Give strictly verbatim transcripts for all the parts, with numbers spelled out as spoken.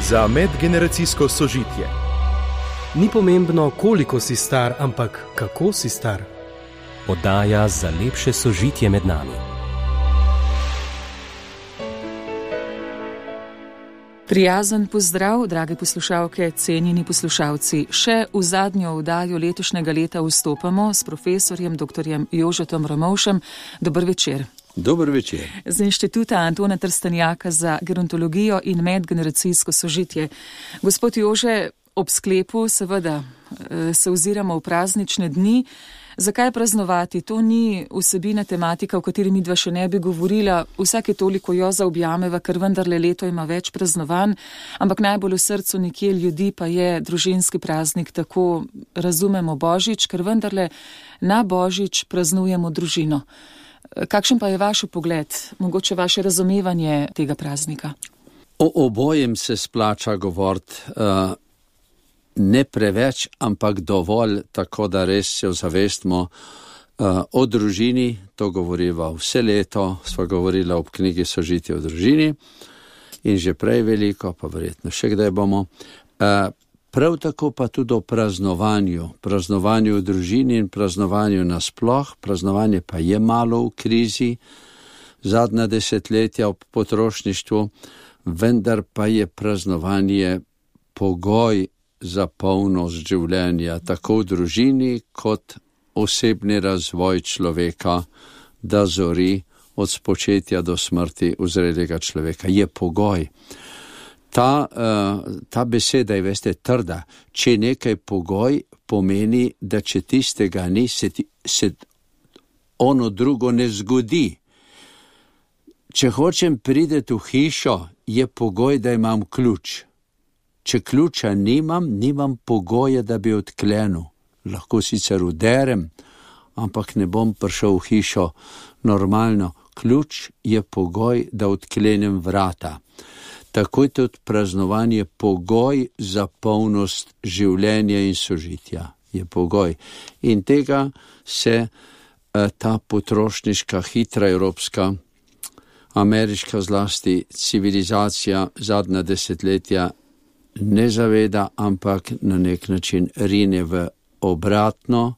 za medgeneracijsko sožitje. Ni pomembno, koliko si star, ampak kako si star. Oddaja za lepše sožitje med nami. Prijazen pozdrav, drage poslušalke, cenjeni poslušalci. Še v zadnjo oddajo letošnjega leta vstopamo s profesorjem doktorjem Jožetom Ramovšem. Dober večer. Dober večer. Z Inštituta Antona Trstenjaka za gerontologijo in medgeneracijsko sožitje. Gospod Jože, ob sklepu seveda se oziramo v praznične dni. Zakaj praznovati? To ni vsebina tematika, o kateri midva še ne bi govorila. Vsake toliko jo zaobjameva, ker vendarle leto ima več praznovanj, ampak najbolj v srcu nekje ljudi pa je družinski praznik, tako razumemo Božič, ker vendarle na Božič praznujemo družino. Kakšen pa je vaš pogled, mogoče vaše razumevanje tega praznika? O obojem se splača govoriti. Uh... Ne preveč, ampak dovolj, tako da res se ozavestimo uh, o družini. To govoriva vse leto, sva govorila ob knjigi Sožitje v družini in že prej veliko, pa verjetno še kdaj bomo. Uh, prav tako pa tudi o praznovanju, praznovanju v družini in praznovanju nasploh. Praznovanje pa je malo v krizi, zadnja desetletja ob potrošništvu, vendar pa je praznovanje pogoj za polnost življenja, tako v družini kot osebni razvoj človeka, da zori od spočetja do smrti v zrelega človeka. Je pogoj. Ta, uh, ta beseda je, veste, trda. Če nekaj pogoj, pomeni, da če tistega ni, se, ti, se ono drugo ne zgodi. Če hočem priti v hišo, je pogoj, da imam ključ. Če ključa nimam, nimam pogoja, da bi odklenil. Lahko sicer uderem, ampak ne bom prišel v hišo normalno. Ključ je pogoj, da odklenem vrata. Tako je tudi praznovanje pogoj za polnost življenja in sožitja. Je pogoj. In tega se eh, ta potrošniška, hitra evropska, ameriška zlasti civilizacija zadnja desetletja ne zaveda, ampak na nek način rine v obratno,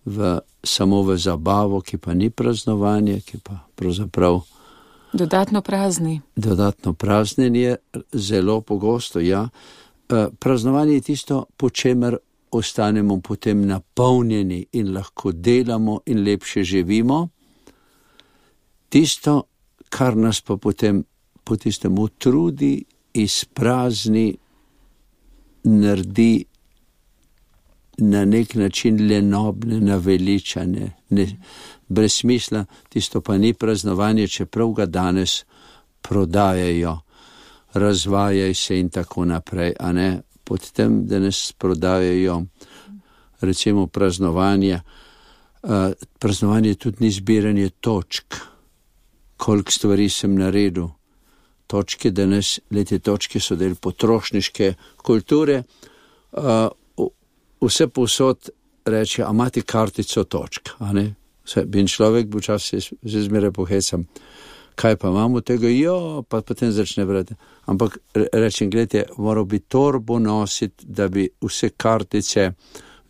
v, samo v zabavo, ki pa ni praznovanje, ki pa pravzaprav dodatno prazni. Dodatno praznenje, zelo pogosto, ja. Praznovanje je tisto, po čemer ostanemo potem napolnjeni in lahko delamo in lepše živimo. Tisto, kar nas pa potem po tistem utrudi, izprazni, naredi na nek način lenobne, naveličane, ne, brez smisla. Tisto pa ni praznovanje, čeprav ga danes prodajajo, razvajaj se in tako naprej, a ne, pod tem, da nas prodajajo recimo praznovanje. Uh, praznovanje tudi ni zbiranje točk, koliko stvari sem naredil. Točke danes, lete točke so del potrošniške kulture, uh, vse povsod reče, a imate kartico točk, a ne? Vse, bin človek bo čas se zmeraj pohecam, kaj pa imamo tega, jo, pa potem začne brati. Ampak rečem, gledajte, moral bi torbo nositi, da bi vse kartice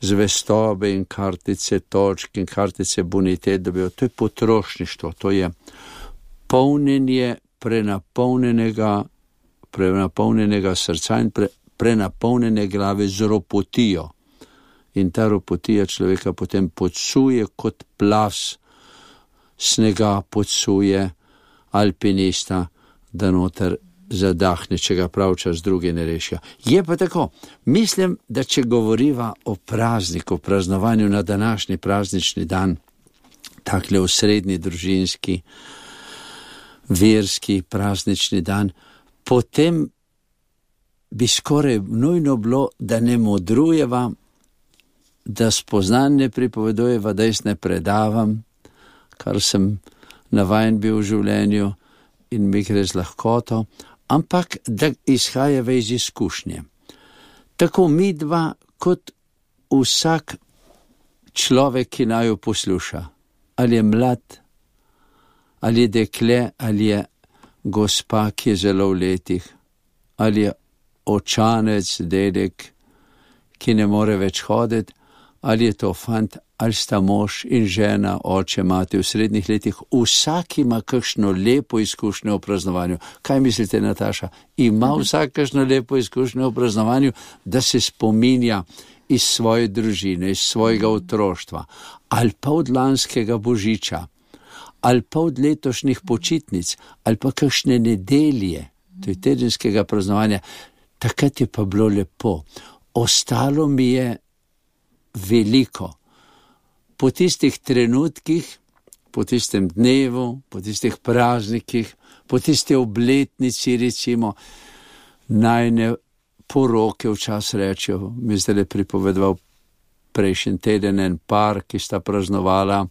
zvestobe in kartice točk in kartice bonitet, da bi, to je potrošništvo, to je polnjenje prenapolnjenega, prenapolnjenega srca in pre, prenapolnjene glave z ropotijo. In ta ropotija človeka potem podsuje kot plas snega, podsuje alpinista, da noter zadahne, če ga pravčas drugi ne rešijo. Je pa tako, mislim, da če govoriva o prazniku, praznovanju na današnji praznični dan, takle osrednji družinski, verski praznični dan, potem bi skoraj nujno bilo, da ne modrujeva, da spoznanj ne pripovedujeva, da jaz ne predavam, kar sem navajen bil v življenju in mi gre z lahkoto, ampak da izhajava iz izkušnje. Tako mi dva, kot vsak človek, ki naj jo posluša, ali je mlad, ali je dekle, ali je gospa, ki je zelo v letih, ali je očanec, dedek, ki ne more več hoditi, ali je to fant, ali sta mož in žena, oče, mati v srednjih letih, vsak ima kakšno lepo izkušnjo o praznovanju. Kaj mislite, Nataša? Ima vsak kakšno lepo izkušnjo o praznovanju, da se spominja iz svoje družine, iz svojega otroštva, ali pa od lanskega božiča, ali pa od letošnjih počitnic, ali pa kakšne nedelje, to je tedenskega praznovanja. Takrat je pa bilo lepo. Ostalo mi je veliko. Po tistih trenutkih, po tistem dnevu, po tistih praznikih, po tiste obletnici, recimo, najne poroke včas rečejo, mi zdaj le pripovedoval prejšnji teden en par, ki sta praznovala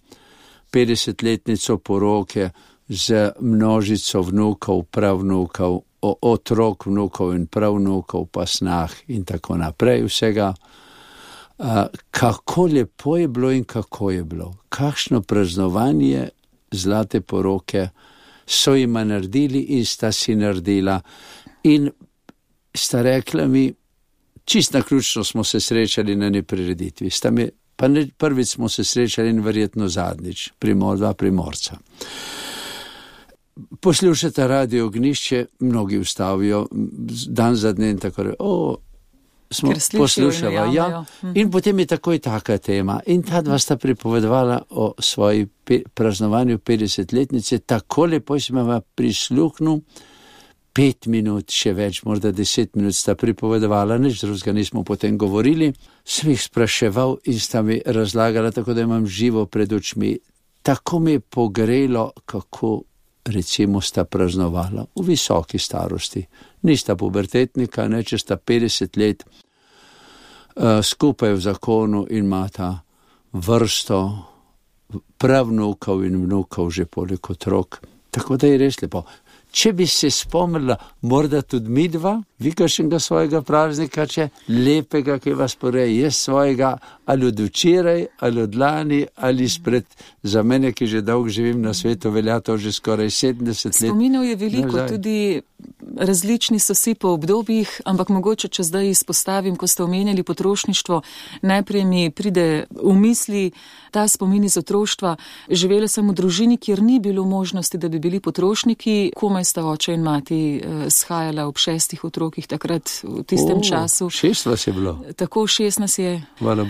petdesetletnico poroke z množico vnukov, pravnukov, otrok vnukov in pravnukov, pa snah in tako naprej vsega. Uh, kako lepo je bilo in kako je bilo. Kakšno praznovanje zlate poroke so jima naredili in sta si naredila. In sta rekla mi, čist naključno smo se srečali na neprireditvi. Sta mi, pa ne, prvič smo se srečali in verjetno zadnjič, primor, dva primorca. Poslušate Radio Ognišče, mnogi ustavijo, dan za dne in tako re, o, smo poslušali, ja, in potem je takoj taka tema. In ta dva sta pripovedovala o svoji pe, praznovanju petdesetletnice, tako lepo sem vam prisluhnil, pet minut, še več, morda deset minut sta pripovedovala, nič drugega nismo potem govorili, sem jih spraševal in sta mi razlagala, tako da imam živo pred očmi. Tako mi je pogrelo, kako recimo sta praznovala v visoki starosti. Nista pubertetnika, ne, če sta petdeset let uh, skupaj v zakonu in imata vrsto pravnukov in vnukov, že poleg otrok. Tako da je res lepo. Če bi se spomnila, morda tudi mi dva, vi kakšnega svojega praznika, če lepega, ki vas poreje, jaz svojega ali od včeraj, ali od lani, ali spred, za mene, ki že dolgo živim na svetu, velja to že skoraj sedemdeset let. Spominov je veliko, nazaj. Tudi različni so si po obdobjih, ampak mogoče, če zdaj izpostavim, ko ste omenjali potrošništvo, najprej mi pride v misli ta spomin iz otroštva. Živela sem v družini, kjer ni bilo možnosti, da bi bili potrošniki, komaj sta oče in mati eh, shajala ob šestih otrokih takrat v tistem o, času. Šest vas je bilo? Tako, šest nas je.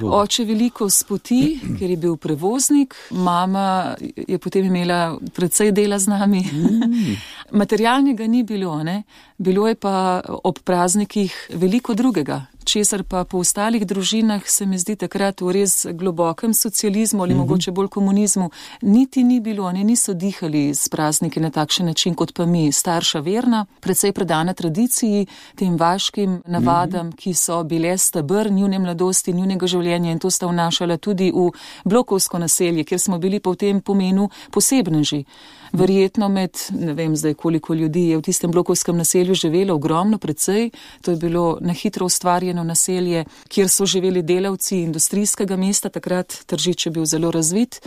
Oče veliko spoti, ker je bil prevoznik, mama je potem imela precej dela z nami. Mm. Materialnega ni bilo, ne? Bilo je pa ob praznikih veliko drugega, česar pa po ostalih družinah se mi zdi takrat v res globokem socializmu ali mm-hmm. mogoče bolj komunizmu niti ni bilo, ne, niso dihali s prazniki na takšen način kot pa mi, starša verna, precej predana tradiciji, tem vaškim navadam, mm-hmm. ki so bile stebr njune mladosti, njunega življenja in to sta vnašala tudi v blokovsko naselje, kjer smo bili po tem pomenu posebneži. Verjetno med, ne vem zdaj koliko ljudi je v tistem blokovskem naselju živelo, ogromno precej, to je bilo na hitro ustvarjeno naselje, kjer so živeli delavci industrijskega mesta, takrat Tržič je bil zelo razvit.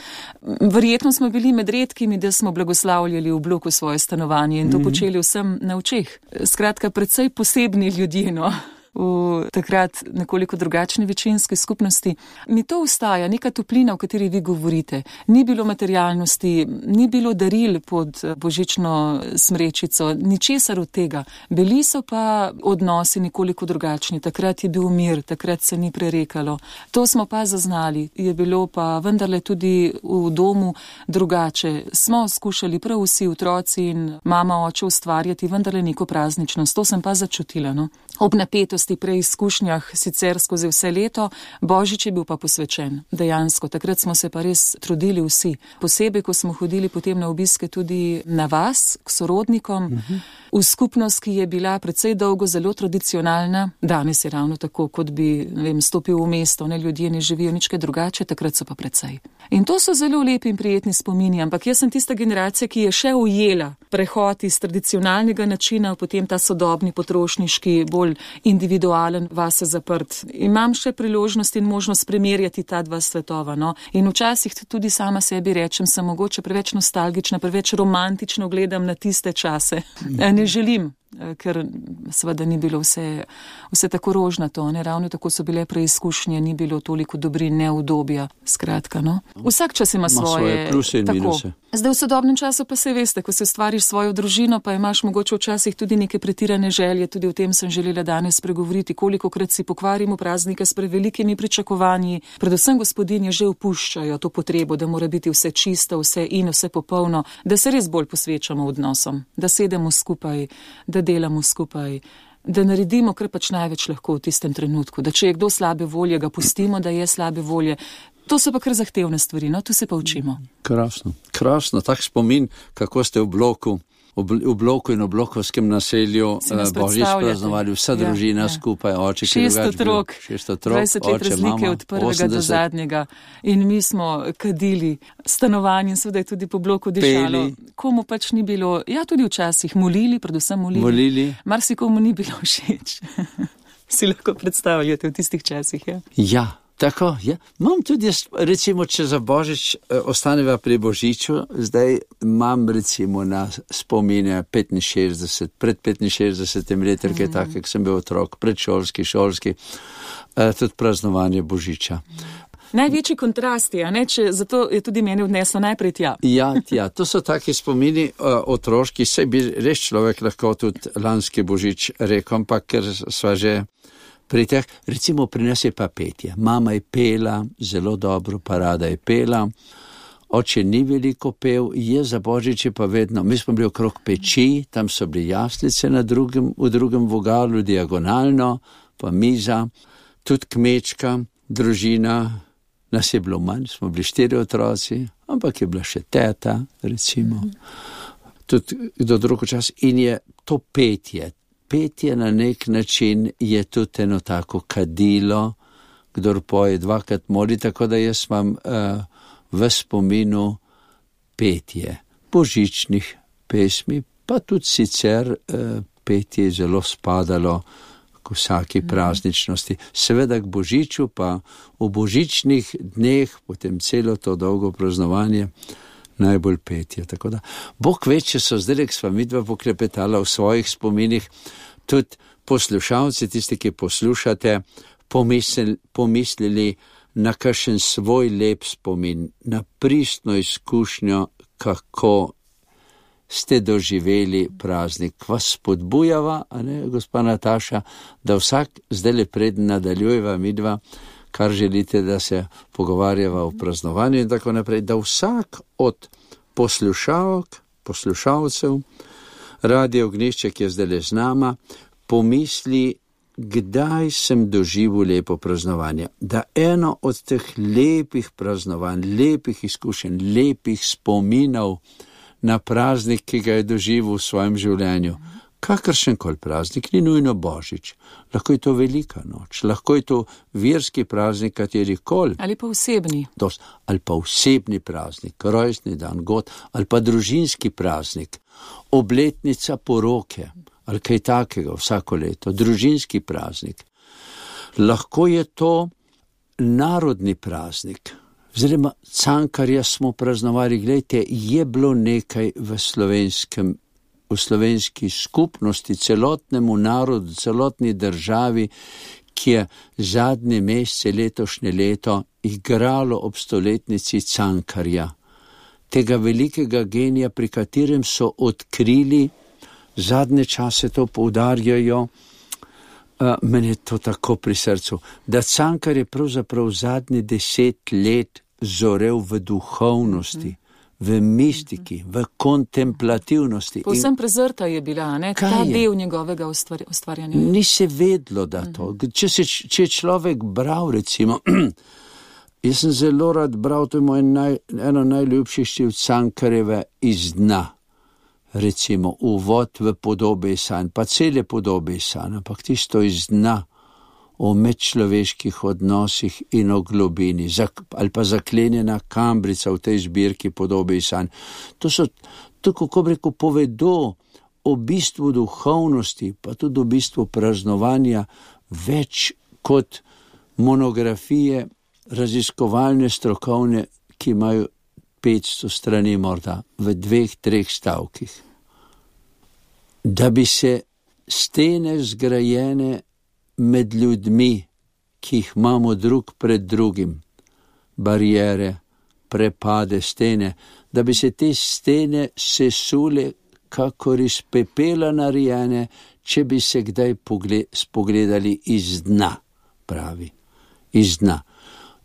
Verjetno smo bili med redkimi, da smo blagoslavljali v bloku svoje stanovanje in to mm-hmm. počeli vsem na očeh. Skratka, precej posebni ljudje, no. V takrat nekoliko drugačni večinski skupnosti. Mi to ustaja, neka toplina, o kateri vi govorite. Ni bilo materialnosti, ni bilo daril pod božično smrečico, ničesar od tega. Bili so pa odnosi nekoliko drugačni. Takrat je bil mir, takrat se ni prerekalo. To smo pa zaznali. Je bilo pa vendarle tudi v domu drugače. Smo skušali prav vsi otroci in mama, oče ustvarjati vendarle neko prazničnost. To sem pa začutila, no. Ob napetosti pri izkušnjah sicer skozi vse leto, Božič je bil pa posvečen, dejansko. Takrat smo se pa res trudili vsi. Posebej, ko smo hodili potem na obiske tudi na vas, k sorodnikom, uh-huh. v skupnost, ki je bila precej dolgo zelo tradicionalna. Danes je ravno tako, kot bi, ne vem, stopil v mesto, ne, ljudje ne živijo nič kaj drugače, takrat so pa precej. In to so zelo lepi in prijetni spomini, ampak jaz sem tista generacija, ki je še ujela prehod iz tradicionalnega načina, potem ta sodobni potrošniški, bolj individualen, vase zaprt. Imam še priložnost in možnost primerjati ta dva svetova, no. In včasih tudi sama sebi rečem, sem mogoče preveč nostalgična, preveč romantično gledam na tiste čase. Ne želim ker seveda ni bilo vse, vse tako rožnato, ne, ravno tako so bile preizkušnje, ni bilo toliko dobrin, neudobja, skratka, no. Vsak čas ima svoje, svoje pluse in tako. Minuse. Zdaj v sodobnem času pa se veste, ko se ustvariš svojo družino, pa imaš mogoče včasih tudi neke pretirane želje, tudi o tem sem želela danes pregovoriti, kolikokrat si pokvarimo praznike s prevelikimi pričakovanji, predvsem gospodinje že opuščajo to potrebo, da mora biti vse čisto, vse in vse popolno, da se res bolj posvečamo odnosom, da sedemo skupaj, da delamo skupaj, da naredimo, kar pač največ lahko v tistem trenutku, da če je kdo slabe volje, ga pustimo, da je slabe volje. To so pa kar zahtevne stvari, no, tu se pa učimo. Krasno, krasno, tak spomin, kako ste v bloku, v bloku in v blokovskem naselju Božič praznovali, vsa družina ja, ja. skupaj, oče, ki je drugač bil. Šest otrok, dvajset let oče, razlike mama, od prvega osemdeset do zadnjega. In mi smo kadili stanovanje, seveda je tudi po bloku dišalo. Komu pač ni bilo, ja tudi včasih molili, predvsem molili. Molili. Marsikomu ni bilo všeč. Si lahko predstavljate v tistih časih, ja? Ja. Tako, ja. Imam tudi, recimo, če za Božič eh, ostaneva pri Božiču, zdaj imam recimo na spomine petinšestdeset, pred petinšestdesetim letom, mm. tako, jak sem bil otrok, predšolski, šolski, eh, tudi praznovanje Božiča. Največji kontrast je, ne, če zato je tudi meni odneslo najprej tja. Ja, tja, to so taki spomini uh, otroški, saj bi res človek lahko tudi lanski Božič rekel, ampak ker sva že pri teh, recimo pri nas je pa petje. Mama je pela, zelo dobro, parada je pela, oče ni veliko pel, je za Božiče pa vedno, mi smo bili okrog peči, tam so bili jaslice na drugem, v drugem vogalu, diagonalno, pa miza, tudi kmečka, družina, nas je bilo manj, smo bili štiri otroci, ampak je bila še teta, recimo, tudi do drugo čas in je to petje. Petje na nek način je tudi eno tako kadilo, kdor poje dvakrat moli, tako da jaz imam uh, v spominu petje božičnih pesmi, pa tudi sicer uh, petje je zelo spadalo k vsaki prazničnosti. Seveda k Božiču, pa v božičnih dneh, potem celo to dolgo praznovanje, najbolj petje. Tako da, Bog ve, če so zdaj, k sva midva poklepetala v svojih spominih, tudi poslušalci, tisti, ki poslušate, pomislili, pomislili na kakšen svoj lep spomin, na pristno izkušnjo, kako ste doživeli praznik. Vas spodbujava, a ne, gospa Nataša, da vsak zdaj le preden nadaljujeva midva, kar želite, da se pogovarjava o praznovanju in tako naprej, da vsak od poslušalk, poslušalcev, Radio Ognjišče, ki je zdaj le z nama, pomisli, kdaj sem doživel lepo praznovanje. Da eno od teh lepih praznovanj, lepih izkušenj, lepih spominov na praznik, ki ga je doživel v svojem življenju, kakršen koli praznik, ni nujno Božič. Lahko je to velika noč, lahko je to verski praznik, katerikoli. Ali pa osebni. Dost, ali pa osebni praznik, rojstni dan, god, ali pa družinski praznik, obletnica poroke, ali kaj takega vsako leto, družinski praznik. Lahko je to narodni praznik. Oziroma, Cankarja smo praznovali, gledajte, je bilo nekaj v slovenskem v slovenski skupnosti, celotnemu narodu, celotni državi, ki je zadnje mesece letošnje leto igralo ob stoletnici Cankarja. Tega velikega genija, pri katerem so odkrili, zadnje čase to poudarjajo, uh, meni je to tako pri srcu, da Cankar je pravzaprav zadnje deset let zorel v duhovnosti, v mistiki, v kontemplativnosti. Povsem prezrta je bila, ne? Ta del njegovega ustvarjanja. Ni se vedlo, da to. Če, se, če je človek bral, recimo, jaz sem zelo rad bral, to je moj naj, eno najljubših štiv Cankarjeve Iz dna. Recimo, uvod v podobe sanj, pa cele podobe sanj, ampak tisto iz dna, o medčloveških odnosih in o globini, ali pa zaklenjena kambrica v tej zbirki podobe in sanj. To so, tako kot reko, povedo o bistvu duhovnosti, pa tudi o bistvu praznovanja več kot monografije raziskovalne, strokovne, ki imajo petsto strani morda v dveh, treh stavkih. Da bi se stene zgrajene med ljudmi, ki jih imamo drug pred drugim, barijere, prepade, stene, da bi se te stene sesule, kakor iz pepela narejene, če bi se kdaj spogledali iz dna, pravi, iz dna,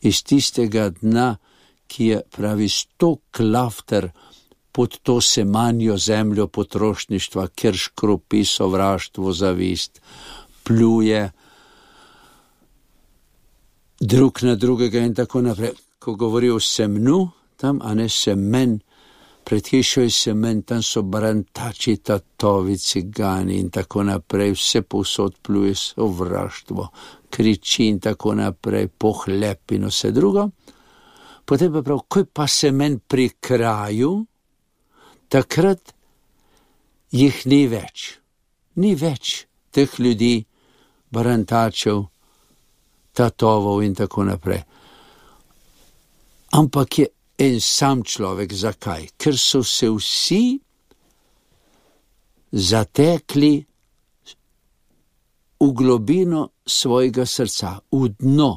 iz tistega dna, ki je, pravi, sto klafter pod to semanjo zemljo potrošništva, kjer škropi sovraštvo, zavist, pluje drug na drugega in tako naprej. Ko govori o semnu, tam, a ne semen, pred hišo je semen, tam so barantači, tatovi, cigani in tako naprej, vse povsod pluje sovraštvo, kriči in tako naprej, pohlep in vse drugo. Potem pa prav, ko je pa semen pri kraju, takrat jih ni več. Ni več teh ljudi, barantačev, tatovov in tako naprej. Ampak je en sam človek. Zakaj? Ker so se vsi zatekli v globino svojega srca, v dno.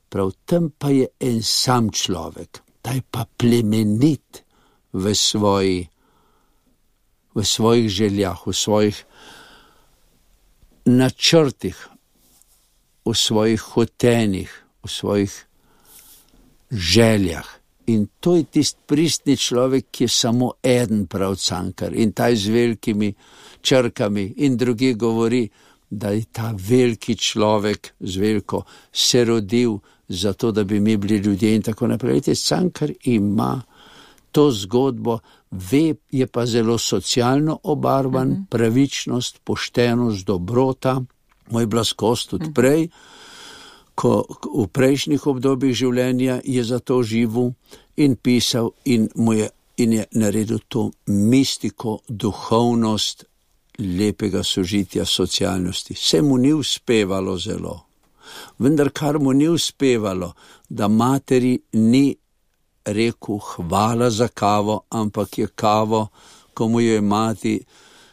Prav tam pa je en sam človek. Ta je pa plemenit v svoji, v svojih željah, v svojih načrtih, v svojih hotenih, v svojih željah. In to je tist pristni človek, ki je samo eden, prav Cankar. In ta z velikimi črkami in drugi govori, da je ta veliki človek z veliko se rodil zato, da bi mi bili ljudje in tako naprej. Cankar ima to zgodbo, ve, je pa zelo socialno obarvan, mm-hmm. pravičnost, poštenost, dobrota, moj blaskost tudi prej, ko v prejšnjih obdobjih življenja je zato živel in pisal in, mu je, in je naredil to mistiko, duhovnost lepega sožitja, socialnosti. Se mu ni uspevalo zelo, vendar kar mu ni uspevalo, da materi ni rekel hvala za kavo, ampak je kavo, ko mu je mati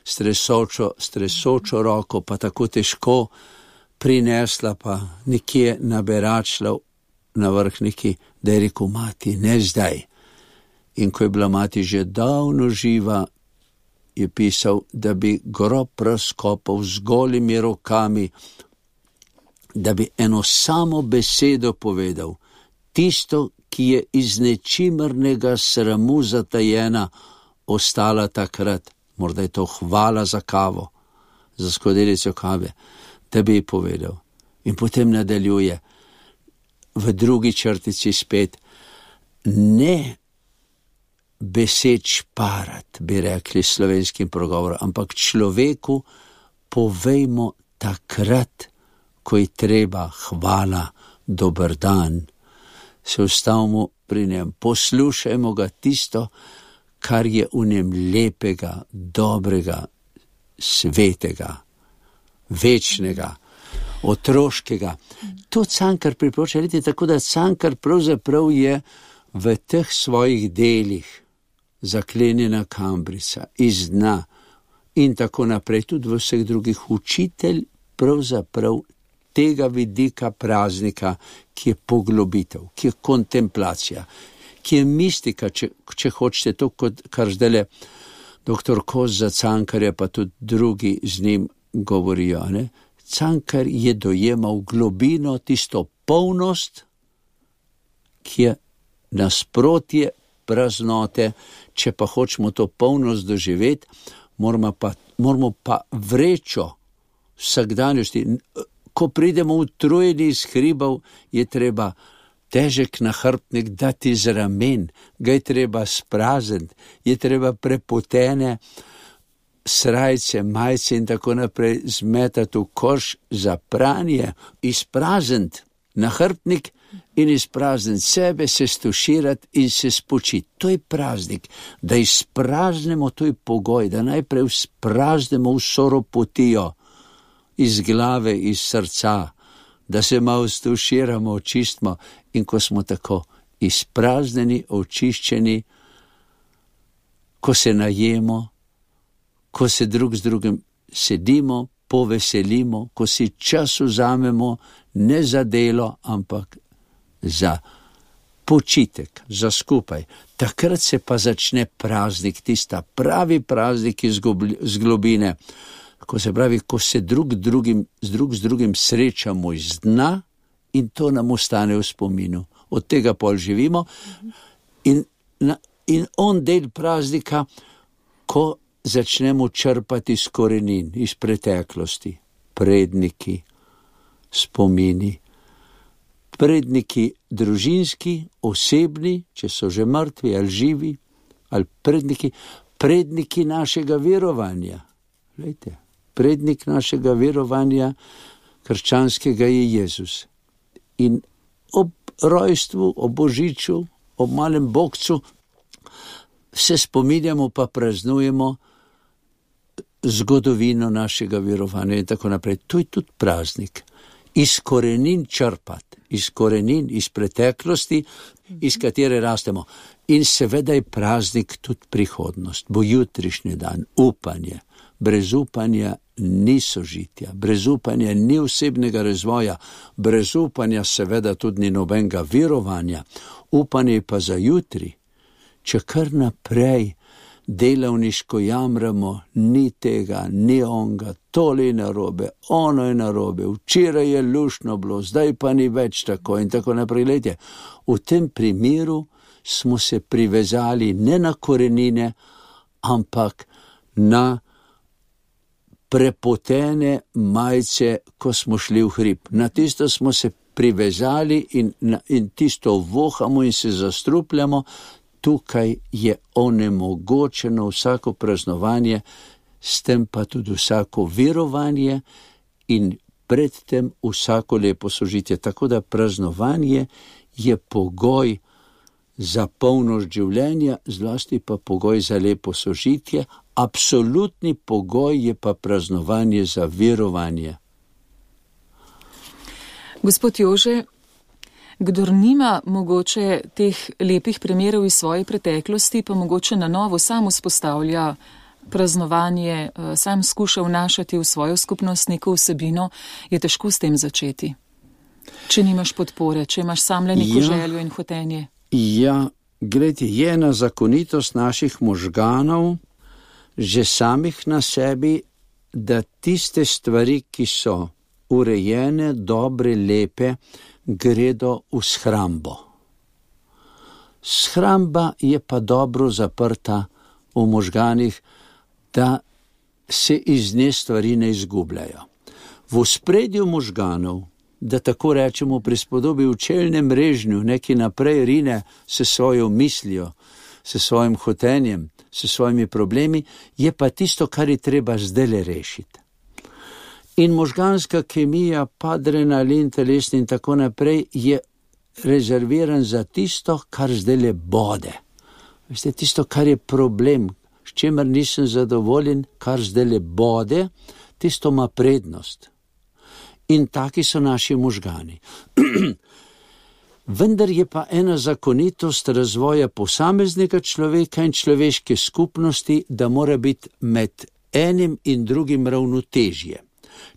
stresočo, stresočo roko, pa tako težko prinesla, pa nekje naberačla na vrh neki, da je rekel mati, ne zdaj. In ko je bila mati že davno živa, je pisal, da bi grob razkopal z golimi rokami, da bi eno samo besedo povedal, tisto, ki je iz nečimrnega sramu zatajena, ostala takrat, morda je to hvala za kavo, za skodelico kave, da bi ji povedal. In potem nadaljuje v drugi črtici spet, ne besed šparat, bi rekli slovenskim progovorom, ampak človeku povejmo takrat, ko je treba hvala, dober dan. Se ustavimo pri njem, poslušajmo ga tisto, kar je v njem lepega, dobrega, svetega, večnega, otroškega. To Cankar priporoča, vidite, tako da Cankar pravzaprav je v teh svojih delih zaklenjena kambrica, iz dna in tako naprej, tudi v vseh drugih, učitelj pravzaprav tega vidika praznika, ki je poglobitev, ki je kontemplacija, ki je mistika, če, če hočete to, kot, kar zdajle doktor Kos za Cankarja, pa tudi drugi z njim govorijo. Ne? Cankar je dojemal globino, tisto polnost, ki je nasprotje praznote. Če pa hočemo to polnost doživeti, moramo pa, moramo pa vrečo vsakdanjosti. Ko pridemo utrujeni iz hribov, je treba težek nahrbtnik dati z ramen, ga je treba sprazniti, je treba prepotene srajce, majice in tako naprej zmetati v koš za pranje, izprazniti nahrbtnik in izprazniti sebe, se stuširati in se spočiti. To je praznik, da izpraznemo, to je pogoj, da najprej izpraznemo vso ropotijo iz glave, iz srca, da se malo stuširamo, očistimo in ko smo tako izprazneni, očiščeni, ko se najemo, ko se drug z drugim sedimo, poveselimo, ko si čas vzamemo ne za delo, ampak za počitek, za skupaj. Takrat se pa začne praznik, tista pravi praznik iz globine, ko se pravi, ko se drug, drugim, drug z drugim srečamo iz dna in to nam ostane v spominu. Od tega pol živimo in, in on del praznika, ko začnemo črpati iz korenin, iz preteklosti, predniki, spomini, predniki družinski, osebni, če so že mrtvi ali živi, ali predniki, predniki našega verovanja. Glejte, prednik našega verovanja krščanskega je Jezus. In ob rojstvu, ob božiču, ob malem bogcu se spominjamo pa praznujemo zgodovino našega verovanja in tako naprej. To je tudi praznik. Iz korenin črpati, iz korenin, iz preteklosti, iz katere rastemo. In seveda je praznik tudi prihodnost, bo jutrišnji dan, upanje. Brez upanja ni sožitja, brez upanja ni osebnega razvoja, brez upanja seveda tudi ni nobenega verovanja. Upanje pa za jutri, če kar naprej delavniško jamramo, ni tega, ni onga, tole je narobe, ono je narobe, včeraj je luštno bilo, zdaj pa ni več tako in tako naprej. Glejte, v tem primeru smo se privezali ne na korenine, ampak na prepotene majice, ko smo šli v hrib. Na tisto smo se privezali in, in tisto vohamo in se zastrupljamo. Tukaj je onemogočeno vsako praznovanje, s tem pa tudi vsako verovanje in predtem vsako lepo sožitje. Tako da praznovanje je pogoj za polnost življenja, zlasti pa pogoj za lepo sožitje. Absolutni pogoj je pa praznovanje za verovanje. Gospod Jože, kdor nima mogoče teh lepih primerov iz svoje preteklosti, pa mogoče na novo sam vzpostavlja praznovanje, sam skuša vnašati v svojo skupnost neko vsebino, je težko s tem začeti. Če nimaš podpore, če imaš sam le neko ja, željo in hotenje. Ja, gledajte, je ena zakonitost naših možganov, že samih na sebi, da tiste stvari, ki so urejene, dobre, lepe, gredo v shrambo. Shramba je pa dobro zaprta v možganih, da se iz nje stvari ne izgubljajo. V ospredju možganov, da tako rečemo prispodobi v čelnem režnju, neki naprej rine se svojo mislijo, se svojim hotenjem, se svojimi problemi, je pa tisto, kar je treba zdajle rešiti. In možganska kemija, adrenalin, telesni in tako naprej je rezerviran za tisto, kar zdajle bode. Veste, tisto, kar je problem, s čemer nisem zadovoljen, kar zdajle bode, tisto ima prednost. In taki so naši možgani. Vendar je pa ena zakonitost razvoja posameznega človeka in človeške skupnosti, da mora biti med enim in drugim ravnotežje.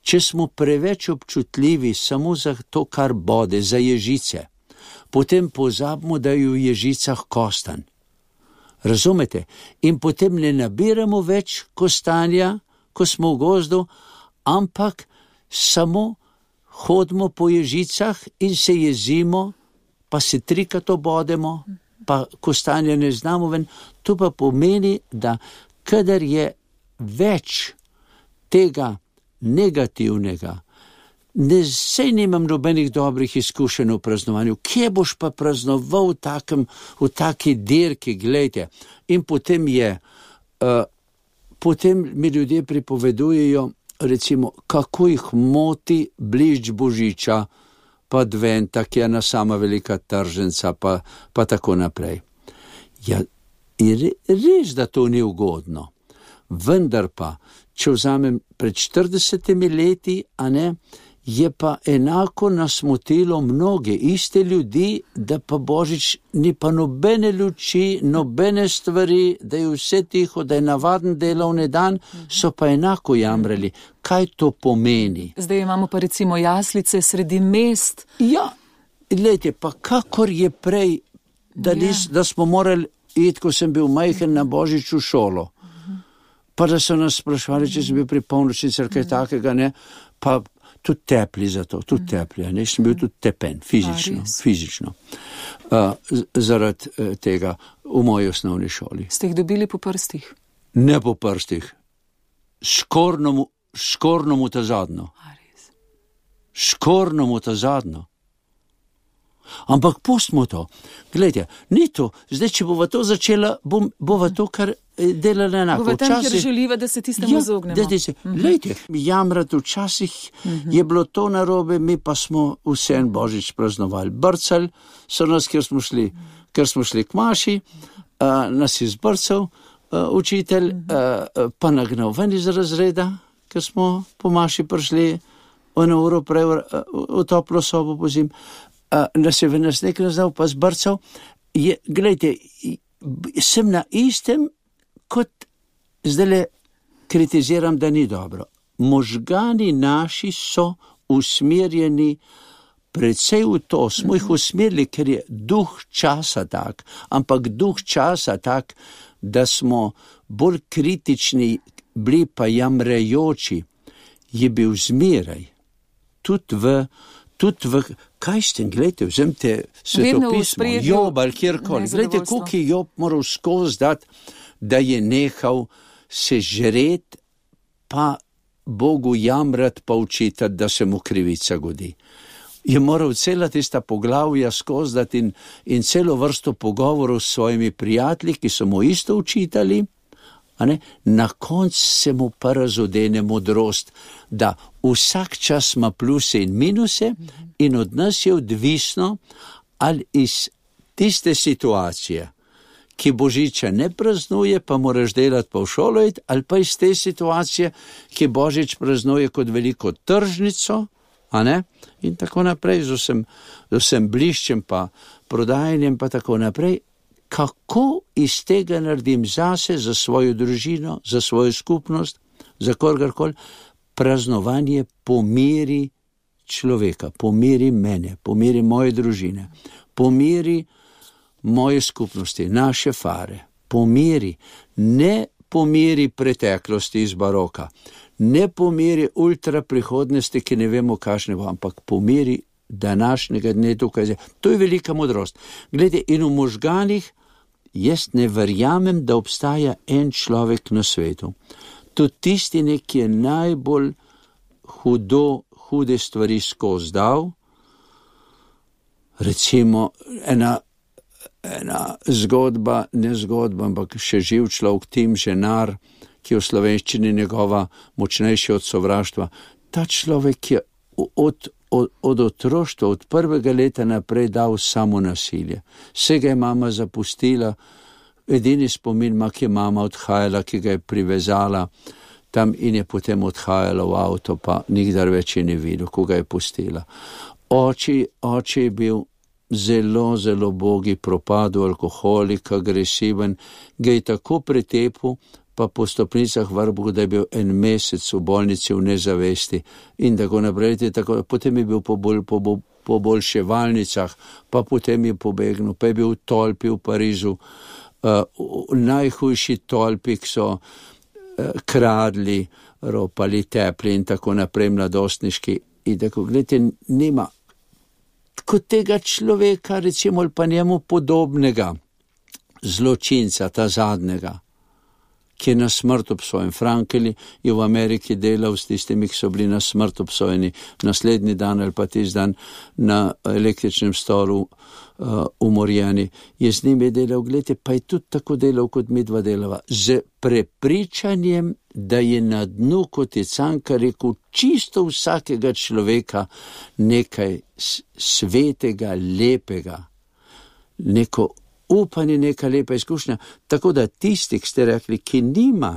Če smo preveč občutljivi samo za to, kar bode, za ježice, potem pozabimo, da je v ježicah kostan. Razumete? In potem ne nabiramo več kostanja, ko smo v gozdu, ampak samo hodimo po ježicah in se jezimo, pa se trikrat obodemo, pa kostanja ne znamo ven. To pa pomeni, da kadar je več tega negativnega, ne, sej nimam nobenih dobrih izkušenj v praznovanju, kje boš pa praznoval v, takem, v taki dirki, gledajte. In potem je, uh, potem mi ljudje pripovedujejo, recimo, kako jih moti bližč Božiča, pa Adventa, ki je ena sama velika trženca, pa, pa tako naprej. Ja, je res, da to ni ugodno. Vendar pa, če vzamem pred štiridesetimi leti, a ne, je pa enako nasmotilo mnoge iste ljudi, da pa Božič ni pa nobene luči, nobene stvari, da je vse tiho, da je navaden delovni dan, so pa enako jamrali. Kaj to pomeni? Zdaj imamo pa recimo jaslice sredi mest. Ja, gledajte, pa kakor je prej, da, nis, da smo morali iti, ko sem bil majhen na Božič v šolo, pa da so nas sprašvali, če sem bil pri polnočnici ali kaj takega, ne, pa tudi tepli za to, tudi tepli, ne, sem bil tudi tepen, fizično, fizično, uh, zaradi uh, tega v moji osnovni šoli. Ste jih dobili po prstih? Ne po prstih, škorno mu, škorno mu ta zadnjo. Škorno mu ta zadnjo. Ampak pustimo to. Glejte, ni to. Zdaj, če bova to začela, bom, bova to kar delala enako. Bova tam, kjer želiva, da se tistemu izognemo. Ja, se, uh-huh. Glejte, jamrati včasih uh-huh. je bilo to narobe, mi pa smo vse en Božič praznovali. Brcali so nas, ker smo šli, ker smo šli k maši, uh, nas je zbrcal uh, učitelj, uh, pa nagnal ven iz razreda, ker smo po maši prišli eno uro prej v, v toplo sobo po zim. Uh, nas je v nas nekaj nazdal, pa zbrcal. Je, glejte, sem na istem, kot zdajle kritiziram, da ni dobro. Možgani naši so usmerjeni predvsej v to, smo jih usmerili, ker je duh časa tak, ampak duh časa tak, da smo bolj kritični, bili pa jamrejoči, je bil zmeraj. Tudi v Tudi v, kaj ste, gledajte, vzemte svetopismo, Job ali kjerkoli, gledajte, koliko je Job moral skozi dati, da je nehal se žret, pa Bogu jamrat, pa učitati, da se mu krivica godi. Je moral cela tista poglavja skozi dati in, in celo vrsto pogovorov s svojimi prijatelji, ki so mu isto učitali, a ne, na koncu se mu pa razodene modrost, da vsak čas ima pluse in minuse in od nas je odvisno, ali iz tiste situacije, ki Božiča ne praznuje, pa moraš delati pa v šolo iti, ali pa iz te situacije, ki Božič praznuje kot veliko tržnico, a ne, in tako naprej, z vsem, z vsem bliščem pa prodajanjem pa tako naprej. Kako iz tega naredim zase, za svojo družino, za svojo skupnost, za kogarkoli, praznovanje po meri človeka, po meri mene, po meri moje družine, po meri moje skupnosti, naše fare, po meri, ne po meri preteklosti iz baroka, ne po meri ultra prihodnosti, ki ne vemo, kakšne bo, ampak po meri današnjega dne tukaj. To je velika modrost. Glede, in v možganih jaz ne verjamem, da obstaja en človek na svetu. Tudi tisti, ki je najbolj hudo, hude stvari skozi dal, recimo ena, ena zgodba, ne zgodba, ampak še živ človek, Tim Ženar, ki je v slovenščini njegova močnejša od sovraštva. Ta človek je od Od, od otroštva, od prvega leta naprej dal samo nasilje. Vse ga je mama zapustila, edini spomin ima, ki je mama odhajala, ki ga je privezala tam in je potem odhajala v avto, pa nikdar več je ne videl, ko ga je pustila. Oči, oči je bil zelo, zelo bogi, propadel, alkoholik, agresiven, ga je tako pretepil, pa po stopnicah vrbu, da je bil en mesec v bolnici v nezavesti in tako naprej. Tako, potem je bil po, bolj, po, po boljševalnicah, pa potem je pobegnil, pa je bil v tolpi v Parizu, uh, v najhujši tolpi, ki so uh, kradli, ropali, tepli in tako naprej, mladostniški. In tako, gledajte, nima kot tega človeka, recimo, pa njemu podobnega zločinca, ta zadnjega, ki je na smrt obsojen. Frankl je v Ameriki delal s tistimi, ki so bili na smrt obsojeni, naslednji dan ali pa tisti dan na električnem stolu uh, umorjeni. Je z njimi delal, gledajte, pa je tudi tako delal, kot mi dva delava, z prepričanjem, da je na dnu, kot je Cankar rekel, čisto vsakega človeka nekaj svetega, lepega, neko upanje, neka lepa izkušnja. Tako da tisti, ki ste rekli, ki nima,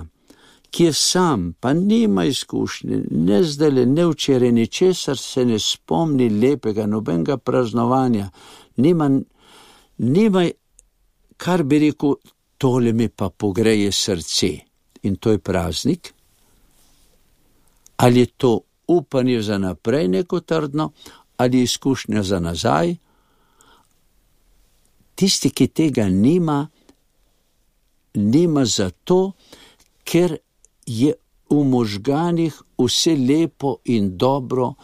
ki je sam, pa nima izkušnje, ne zdajle, ne včeraj, ničesar se ne spomni lepega, nobenega praznovanja, nima, nima, kar bi rekel, tole mi pa pogreje srce. In to je praznik. Ali je to upanje za naprej neko trdno, ali izkušnja za nazaj. Tisti, ki tega nima, nima zato, ker je v možganih vse lepo in dobro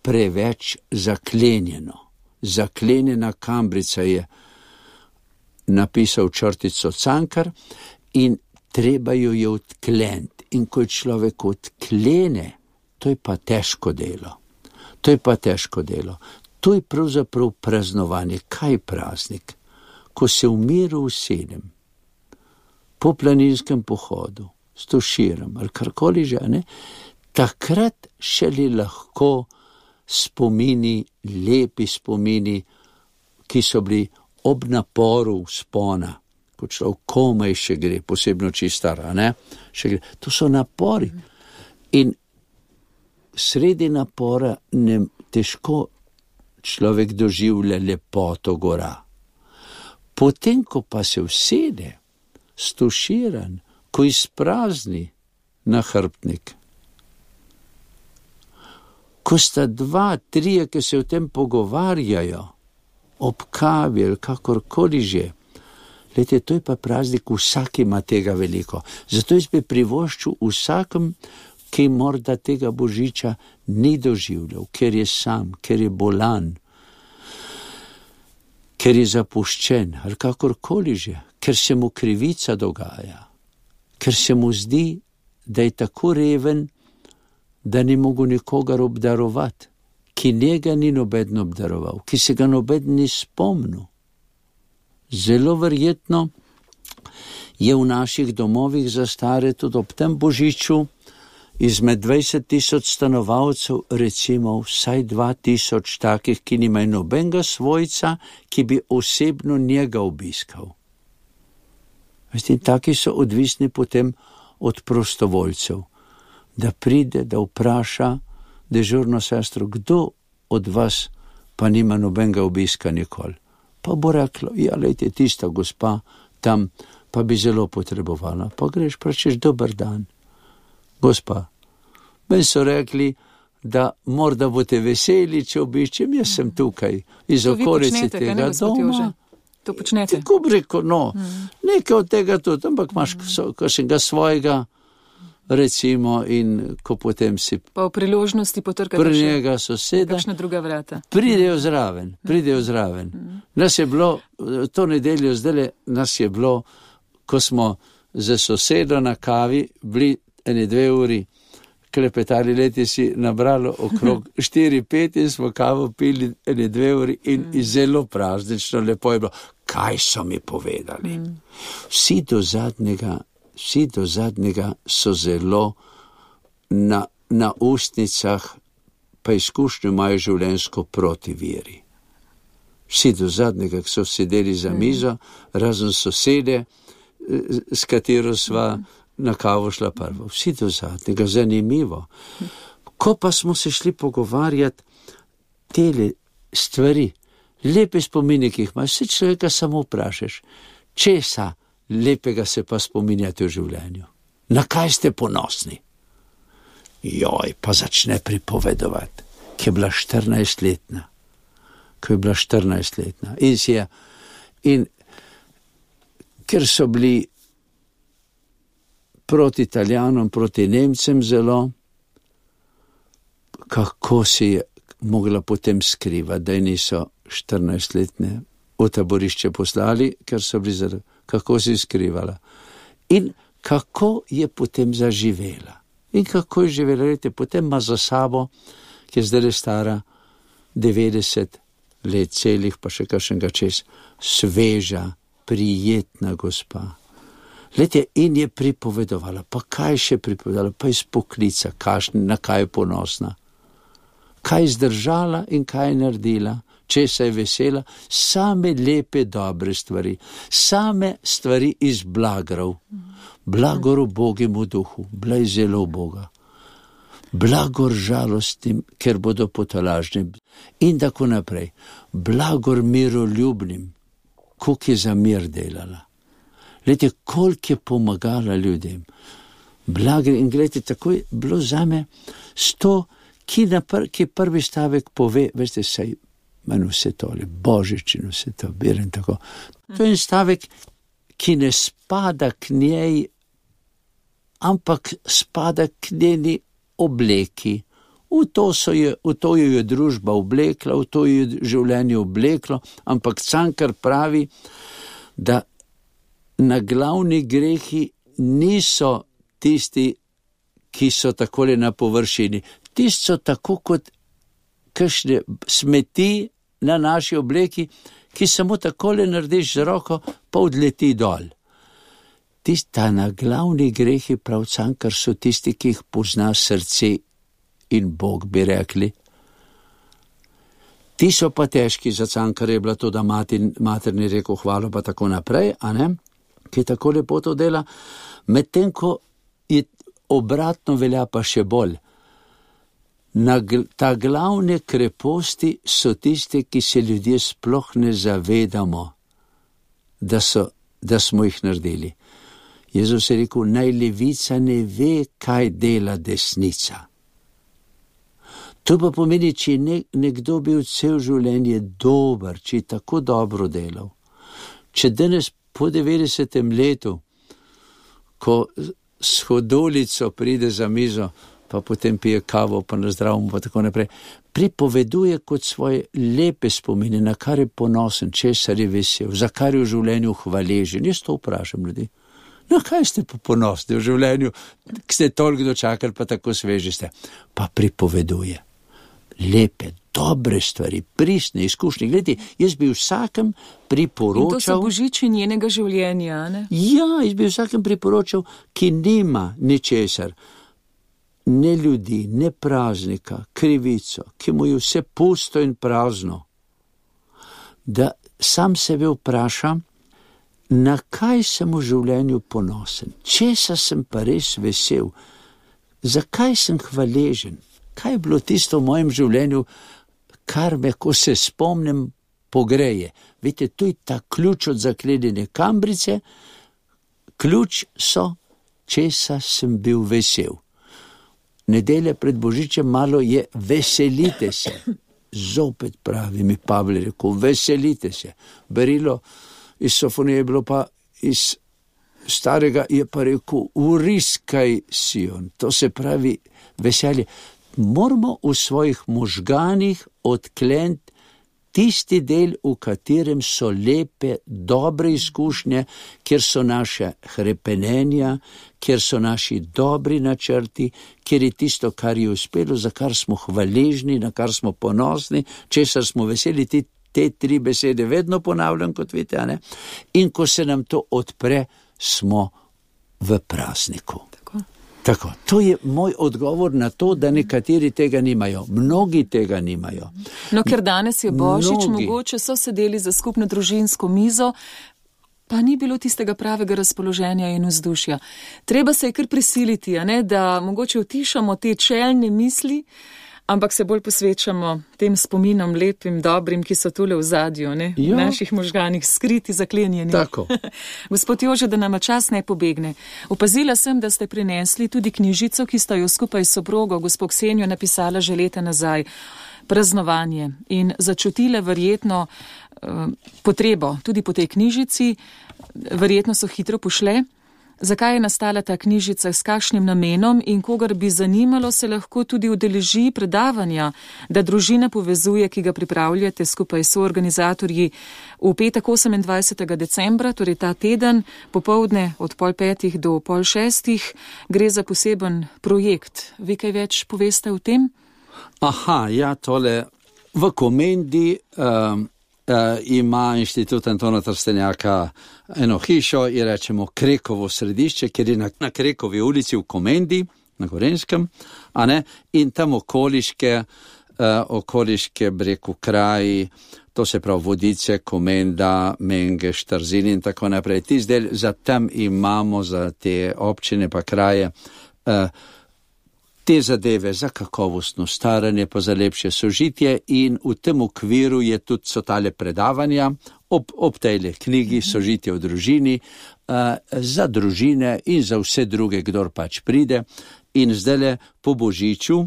preveč zaklenjeno. Zaklenjena kambrica je napisal črtico Cankar in treba jo je odkleniti. In ko je človek odklene, to je pa težko delo. To je pa težko delo. To je pravzaprav praznovanje. Kaj je praznik? Ko se v miru usedem, po planinskem pohodu, s tuširom ali karkoli že, ne, takrat šele lahko spomini, lepi spomini, ki so bili ob naporu vzpona, ko človek komaj še gre, posebno čistara, ne, še gre. To so napori. In sredi napora ne težko človek doživlja lepoto gora. Potem, ko pa se usede, stuširan, ko izprazni nahrbtnik, ko sta dva, trije, ki se o tem pogovarjajo, ob kavi ali kakorkoli že, lejte, to je pa praznik, vsak ima tega veliko. Zato jaz bi privoščil vsakem, ki morda tega božiča ni doživljal, ker je sam, ker je bolan, ker je zapuščen, ali kakorkoli že, ker se mu krivica dogaja, ker se mu zdi, da je tako reven, da ni mogel nikogar obdarovati, ki njega ni noben obdaroval, ki se ga noben ni spomnil. Zelo verjetno je v naših domovih za stare tudi ob tem božiču izmed dvajset tisoč stanovalcev recimo vsaj dva tisoč takih, ki nimajo nobenega svojca, ki bi osebno njega obiskal. Veste, taki so odvisni potem od prostovoljcev, da pride, da vpraša dežurno sestro, kdo od vas pa nima nobenega obiska nikoli. Pa bo reklo, ja, lejte, tista gospa tam pa bi zelo potrebovala. Pa greš, pračeš, dober dan. Gospa, meni so rekli, da morda boste veseli, če obiščem, jaz sem tukaj iz okolice tega doma. To počnete? Tako bi rekel, no, hmm. nekaj od tega tudi, ampak imaš hmm. kakšnega svojega, recimo, in ko potem si pa v priložnosti potrkate pri njega soseda, kakšna druga vrata. Pridejo zraven, pridejo zraven. Hmm. Nas je bilo, to nedeljo zdaj, nas je bilo, ko smo za sosedo na kavi bili ene dve uri klepetali, leti si nabralo okrog štiri pet in smo kavo pili ene dve uri in mm. zelo praznično, lepo je bilo. Kaj so mi povedali? Mm. Vsi do zadnjega, vsi do zadnjega so zelo na, na ustnicah, pa izkušnjo imajo življenjsko proti veri. Vsi do zadnjega, ki so sedeli za mizo, mm. razen sosede, s katero sva mm. na kavo šla prvo. Vsi do zadnjega, zanimivo. Ko pa smo se šli pogovarjati tele stvari, lepe spomine, ki jih imaš, vse človeka samo vprašaš, česa lepega se pa spominjate v življenju? Na kaj ste ponosni? Joj, pa začne pripovedovati, ki je bila štirinajstletna. Ko je bila štirinajstletna. In si je, in ker so bili proti Italijanom, proti Nemcem zelo, kako si je mogla potem skrivati, da niso štirinajstletne v taborišče poslali, ker so bili zelo, kako si skrivala. In kako je potem zaživela. In kako je živela, rejte, potem ima za sabo, ki je zdaj stara devetdeset let celih, pa še kakšnega čez, sveža, prijetna gospa. Lete, in je pripovedovala, pa kaj še pripovedovala, pa iz poklica, kašni, na kaj je ponosna. Kaj je zdržala in kaj je naredila, česa je vesela, same lepe, dobre stvari, same stvari iz blagrov. Blagor ubogemu duhu, blaj zelo Boga. Blagor žalostnim, ker bodo potolažni. In tako naprej. Blagor miroljubnim, koliko je za mir delala. Glede, koliko je pomagala ljudem. Blagor, in glede, tako je bilo zame sto, ki, pr, ki prvi stavek pove, veste, saj manj vse tole, Božič in vse to, berem tako. To je stavek, ki ne spada k njej, ampak spada k njeni obleki. V to, so je, v to jo je družba oblekla, v to jo je življenje obleklo, ampak Cankar pravi, da na glavni grehi niso tisti, ki so takole na površini. Tisti so tako kot kakšne smeti na naši obleki, ki samo takole narediš z roko, pa odleti dol. Tista na glavni grehi, prav Cankar, so tisti, ki jih pozna srce in Bog, bi rekli. Ti so pa težki, za Cankar je bila to, da mater, mater ni rekel hvalo, pa tako naprej, a ne? Ki tako lepo to dela, medtem ko je obratno velja pa še bolj. Na ta glavne kreposti so tiste, ki se ljudje sploh ne zavedamo, da, so, da smo jih naredili. Jezus je rekel, naj levica ne ve, kaj dela desnica. To pa pomeni, če je ne, nekdo bil cel življenje dober, če je tako dobro delal. Če danes po devetdesetem letu, ko s hodolico pride za mizo, pa potem pije kavo, pa na zdravmu, pa tako naprej, pripoveduje kot svoje lepe spomine, na kar je ponosen, česar je vesel, za kar je v življenju hvaležen. Jaz to vprašam ljudi. No, kaj ste pa ponosni v življenju, ki ste toliko dočakali, pa tako sveži ste? Pa pripoveduje lepe, dobre stvari, pristne izkušnje. Glede, jaz bi vsakem priporočal... In to so božiči njenega življenja, ne? Ja, jaz bi vsakem priporočal, ki nima ničesar, ne ljudi, ne praznika, krivico, ki mu je vse pusto in prazno, da sam sebe vprašam, na kaj sem v življenju ponosen, česa sem pa res vesel, zakaj sem hvaležen, kaj je bilo tisto v mojem življenju, kar me, ko se spomnim, pogreje. Veste, to je ta ključ od zaklenjene kambrice, ključ so, česa sem bil vesel. Nedelja pred Božičem malo je veselite se. Zopet pravi mi Pavel rekel, veselite se. Berilo iz Sofonije je bilo pa iz starega, je pa rekel, uriskaj Sion. To se pravi veselje. Moramo v svojih možganih odkleniti tisti del, v katerem so lepe, dobre izkušnje, kjer so naše hrepenenja, kjer so naši dobri načrti, kjer je tisto, kar je uspelo, za kar smo hvaležni, na kar smo ponosni, česar smo veseli, ti te tri besede vedno ponavljam, kot vidite, ne? In ko se nam to odpre, smo v prazniku. Tako. Tako, to je moj odgovor na to, da nekateri tega nimajo. Mnogi tega nimajo. No, ker danes je Božič, Mnogi. mogoče so sedeli za skupno družinsko mizo, pa ni bilo tistega pravega razpoloženja in vzdušja. Treba se je kar prisiliti, a ne, da mogoče utišamo te čelne misli, ampak se bolj posvečamo tem spominom lepim, dobrim, ki so tule v zadju, ne? V naših možganih, skriti, zaklenjeni. Tako. Gospod Jože, da nama čas ne pobegne. Opazila sem, da ste prinesli tudi knjižico, ki sta jo skupaj s soprogo, gospod Ksenijo, napisala že leta nazaj. Praznovanje. In začutile verjetno uh, potrebo tudi po tej knjižici, verjetno so hitro pošle. Zakaj je nastala ta knjižica, s kakšnim namenom in kogar bi zanimalo, se lahko tudi udeleži predavanja, da družina povezuje, ki ga pripravljate skupaj s organizatorji v petek osemindvajsetega decembra, torej ta teden, popovdne od pol petih do pol šestih. Gre za poseben projekt. Vi kaj več poveste o tem? Aha, ja, tole v Komendi um, uh, ima Inštitut Antona Trstenjaka eno hišo, je rečemo Krekovo središče, ker je na, na Krekovi ulici v Komendi, na Gorenskem, a ne, in tam okoliške okoliške breku kraji, to se pravi Vodice, Komenda, Menge, Štarzin in tako naprej. Ti zdaj za tam imamo za te občine pa kraje uh, te zadeve za kakovostno staranje pa za lepše sožitje in v tem okviru je tudi so tale predavanja ob, ob tejle knjigi Sožitje v družini uh, za družine in za vse druge, kdor pač pride. In zdajle po Božiču,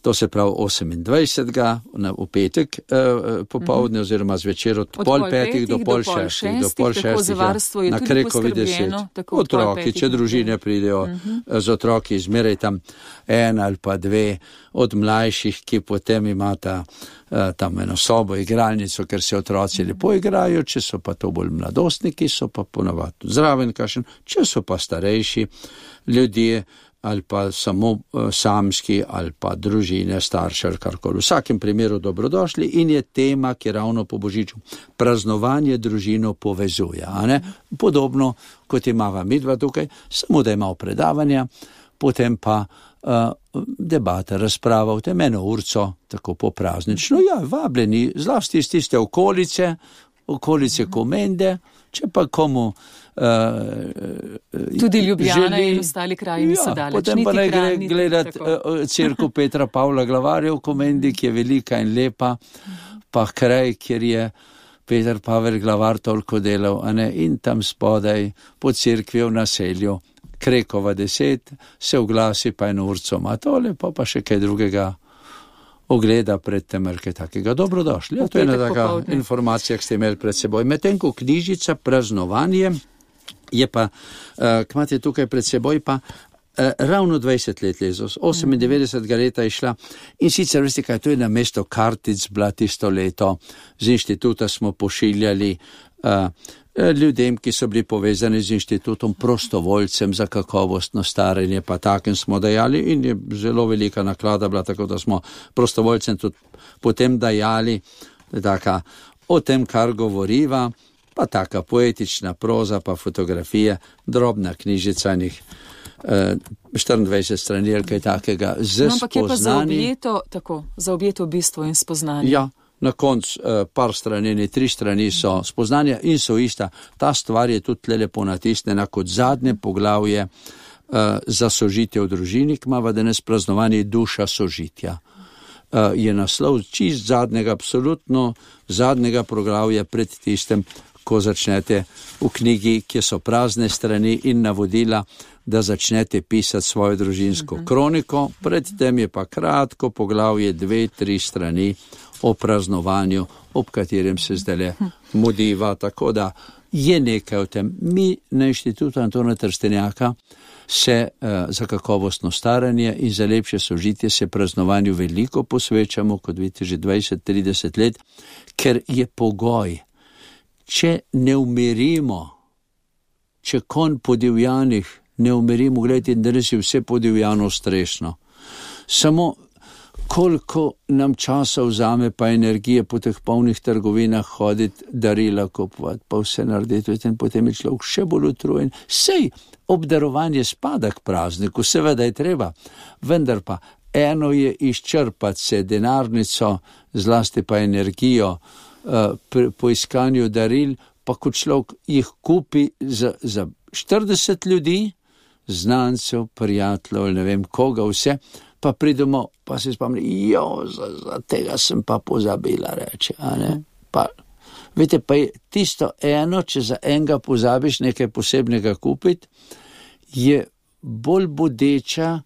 to se pravi osemindvajsetega v petek eh, popovdne oziroma zvečer od, od pol petih do pol šestih, do pol šestih, na Krekovi deset. Otroki, če družine pridejo uh-huh. z otroki, zmeraj tam en ali pa dve od mlajših, ki potem imata eh, tam eno sobo, igralnico, ker se otroci uh-huh. lepo igrajo, če so pa to bolj mladostniki, so pa ponavadi zraven kašen, če so pa starejši ljudje, ali pa samo uh, samski, ali pa družine, starše, ali karkoli. V vsakem primeru dobrodošli in je tema, ki ravno po Božiču praznovanje družino povezuje. A ne? Podobno, kot imava midva tukaj, samo da ima predavanja, potem pa uh, debata, razprava v tem eno urco, tako po praznično. Ja, vabljeni, zlasti iz tiste okolice, okolice Komende, če pa komu Uh, tudi Ljubljana želi, in ostali kraji niso ja, daleč. Potem pa ne gre gledati uh, cerkev Petra Pavla Glavarja v Komendi, ki je velika in lepa, pa kraj, kjer je Peter Pavel Glavar toliko delal, a ne, in tam spodaj po cerkvi v naselju Krekova deset se oglasi pa eno urco ima tole, pa pa še kaj drugega ogleda pred tem, kaj takega. Dobrodošli. Ja, to je ena taka popovdne informacija, ki ste imeli pred seboj. Medtem ko knjižica Praznovanje je pa, uh, kmat je tukaj pred seboj pa uh, ravno dvajset let letos, osemindevetdesetega leta je šla in sicer, veste kaj, to je na mesto kartic bila tisto leto, z inštituta smo pošiljali uh, ljudem, ki so bili povezani z inštitutom, prostovoljcem za kakovostno staranje, pa takem smo dajali in je zelo velika naklada bila, tako da smo prostovoljcem tudi potem dajali taka, o tem, kar govoriva, pa taka poetična proza, pa fotografije, drobna knjižica njih, eh, štiriindvajset strani ali kaj takega, z no, ampak je pa za spoznani. objeto, tako, za objeto bistvo in spoznanje. Ja, na koncu eh, par strani, ne tri strani so spoznanja in so ista. Ta stvar je tudi tle lepo natisnjena kot zadnje poglavje eh, za sožitje v družini, ki imava danes praznovanje duša sožitja. Uh, je naslov čist zadnjega, absolutno zadnjega poglavja pred tistem, ko začnete v knjigi, kjer so prazne strani in navodila, da začnete pisati svojo družinsko uh-huh. kroniko. Predtem je pa kratko poglavje, dve, tri strani o praznovanju, ob katerem se zdaj mudiva, tako da je nekaj o tem. Mi na inštitutu Antona Trstenjaka se uh, za kakovostno staranje in za lepše sožitje se praznovanju veliko posvečamo, kot vidite, že dvajset trideset let, ker je pogoj. Če ne umirimo, če konj po divjanih ne umirimo, gledajte, danes je vse po divjano strešno. Samo koliko nam časa vzame pa energije po teh polnih trgovinah hoditi, darila kupovati, pa vse narediti, in potem je človek še bolj utrujen. Sej, obdarovanje spada k prazniku, seveda je treba, vendar pa eno je izčrpati se denarnico, zlasti pa energijo uh, pri, po iskanju daril, pa ko človek jih kupi za, za štirideset ljudi, znancev, prijateljev, ne vem koga vse, pa pridemo, pa se spomni, jo, za, za tega sem pa pozabila, reče, a ne, pa, veste, pa je tisto eno, če za enega pozabiš nekaj posebnega kupiti, je bolj bodeča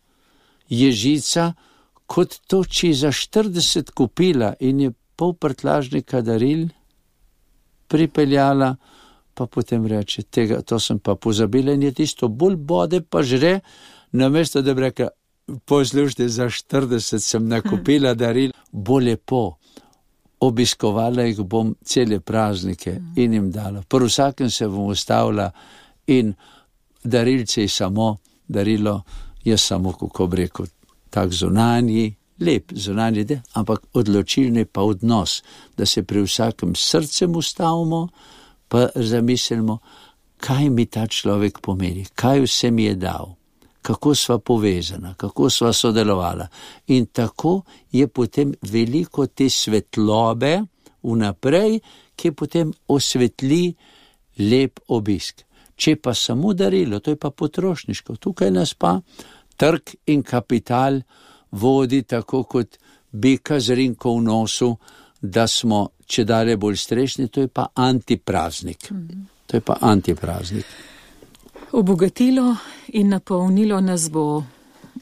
ježica, kot to, če za štirideset kupila in je pol prtlažnika daril pripeljala, pa potem reče, tega, to sem pa pozabila in je tisto bolj bode, pa žre, namesto da bi rekla, poslušajte, za štirideset sem nakupila daril, bo lepo, obiskovala jih bom cele praznike in jim dala. Pri vsakem se bom ustavila in darilce je samo, darilo je samo, kako bi rekel, tak zunanji, lep zunanji del, ampak odločilni pa odnos, da se pri vsakem srcem ustavimo, pa zamislimo, kaj mi ta človek pomeni, kaj vse mi je dal, kako sva povezana, kako sva sodelovala. In tako je potem veliko te svetlobe vnaprej, ki potem osvetli lep obisk. Če pa samo darilo, to je pa potrošniško. Tukaj nas pa trg in kapital vodi tako kot bika z rinko v nosu, da smo če dalje bolj strešni, to je pa antipraznik. To je pa antipraznik. Obogatilo in napolnilo nas bo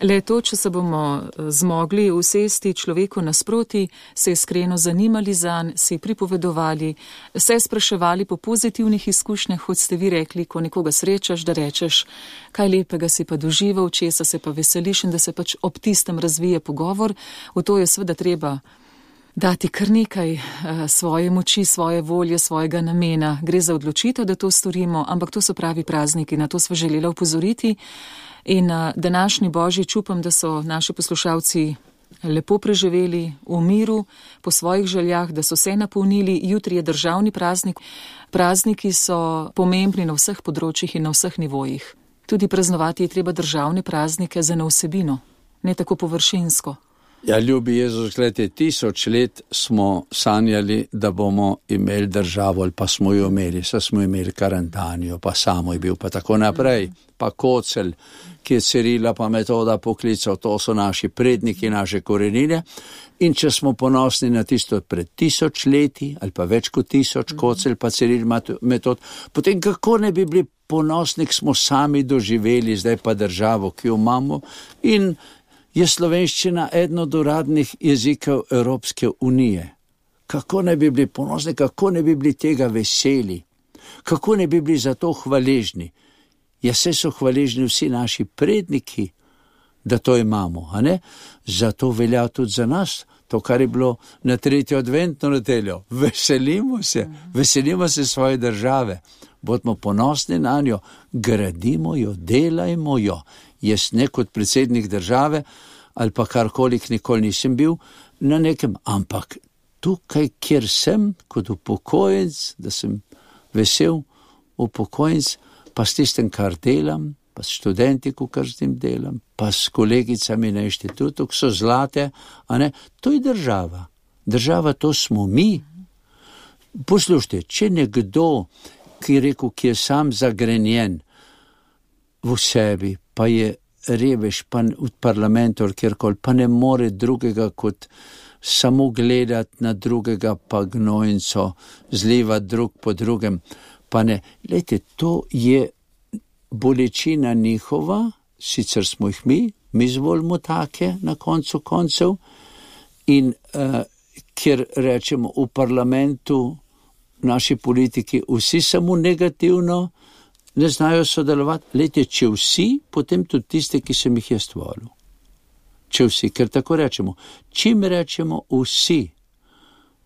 le to, če se bomo zmogli usesti človeku nasproti, se iskreno zanimali zanj, se pripovedovali, se spraševali po pozitivnih izkušnjah, kot ste vi rekli, ko nekoga srečaš, da rečeš, kaj lepega si pa doživel, česa se pa veseliš in da se pač ob tistem razvije pogovor. V to je seveda treba dati kar nekaj svoje moči, svoje volje, svojega namena. Gre za odločitev, da to storimo, ampak to so pravi prazniki, na to sva želela opozoriti. In današnji božič upam, da so naši poslušalci lepo preživeli v miru, po svojih željah, da so se napolnili. Jutri je državni praznik. Prazniki so pomembni na vseh področjih in na vseh nivojih. Tudi praznovati je treba državne praznike za eno vsebino, ne tako površinsko. Ja, ljubi Jezus, gledajte, tisoč let smo sanjali, da bomo imeli državo, ali pa smo jo imeli, saj smo imeli Karantanijo, pa samo je bil, pa tako naprej, pa Kocelj, ki je Cirila pa Metoda poklical, to so naši predniki, naše korenine. In če smo ponosni na tisto pred tisoč leti, ali pa več kot tisoč, Kocelj pa Ciril Metod, potem kako ne bi bili ponosni, smo sami doživeli, zdaj pa državo, ki jo imamo. In je slovenščina eden od uradnih jezikov Evropske unije. Kako ne bi bili ponosni, kako ne bi bili tega veseli, kako ne bi bili za to hvaležni. Ja, se so hvaležni vsi naši predniki, da to imamo, a ne? Zato velja tudi za nas, to, kar je bilo na tretjo adventno nedeljo. Veselimo se, veselimo se svoje države, bodimo ponosni na njo, gradimo jo, delajmo jo. Jaz ne kot predsednik države ali pa karkoli nikoli nisem bil na nekem, ampak tukaj, kjer sem, kot upokojenc, da sem vesel upokojenc, pa s tistem, kar delam, pa s študenti, kar s tem delam, pa s kolegicami na inštitutu, ki so zlate, a ne, to je država. Država, to smo mi. Poslušajte, če nekdo, ki je rekel, ki je sam zagrenjen v sebi, pa je revež, pa v parlamentu, kjerkoli, pa ne more drugega kot samo gledati na drugega, pa gnojnico zlivati drug po drugem, pa ne. Lejte, to je bolečina njihova, sicer smo jih mi, mi zvolimo take na koncu koncev, in uh, ker rečemo v parlamentu, naši politiki, vsi samo negativno, ne znajo sodelovati. Lejte, če vsi, potem tudi tiste, ki sem jih jaz volil. Če vsi, ker tako rečemo. Čim rečemo vsi,